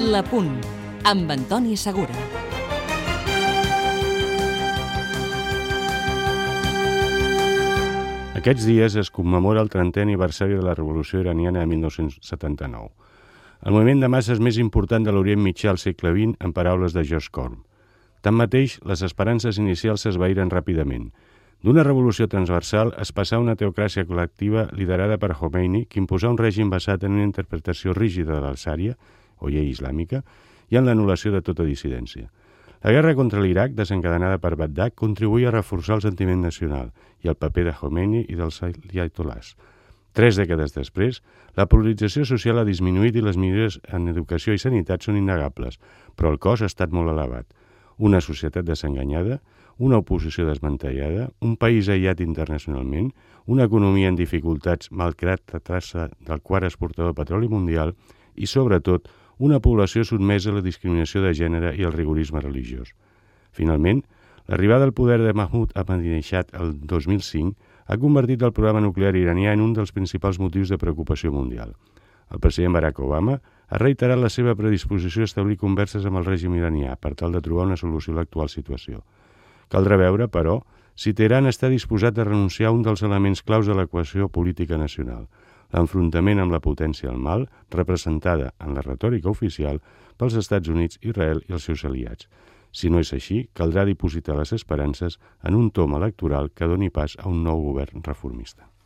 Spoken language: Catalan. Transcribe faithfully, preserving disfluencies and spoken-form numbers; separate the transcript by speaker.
Speaker 1: La Punt, amb Antoni Segura.
Speaker 2: Aquests dies es commemora el trentè aniversari de la Revolució Iraniana de mil nou-cents setanta-nou. El moviment de masses més important de l'Orient Mitjà al segle vint, en paraules de George Corm. Tanmateix, les esperances inicials s'esvaïren ràpidament. D'una revolució transversal es passà a una teocràcia col·lectiva liderada per Khomeini, que imposà un règim basat en una interpretació rígida de l'Al-Sària, o llei islàmica, i en l'anul·lació de tota dissidència. La guerra contra l'Iraq, desencadenada per Bagdad, contribuïa a reforçar el sentiment nacional i el paper de Khomeini i dels ayatolás. Tres dècades després, la polarització social ha disminuït i les millores en educació i sanitat són innegables, però el cost ha estat molt elevat. Una societat desenganyada, una oposició desmantellada, un país aïllat internacionalment, una economia en dificultats malgrat la traça del quart exportador de petroli mundial i, sobretot, una població sotmesa a la discriminació de gènere i al rigorisme religiós. Finalment, l'arribada al poder de Mahmoud Ahmadinejad el dos mil cinc ha convertit el programa nuclear iranià en un dels principals motius de preocupació mundial. El president Barack Obama ha reiterat la seva predisposició a establir converses amb el règim iranià per tal de trobar una solució a l'actual situació. Caldrà veure, però, si Teheran està disposat a renunciar a un dels elements claus de l'equació política nacional, l'enfrontament amb la potència del mal, representada en la retòrica oficial pels Estats Units, Israel i els seus aliats. Si no és així, caldrà dipositar les esperances en un tom electoral que doni pas a un nou govern reformista.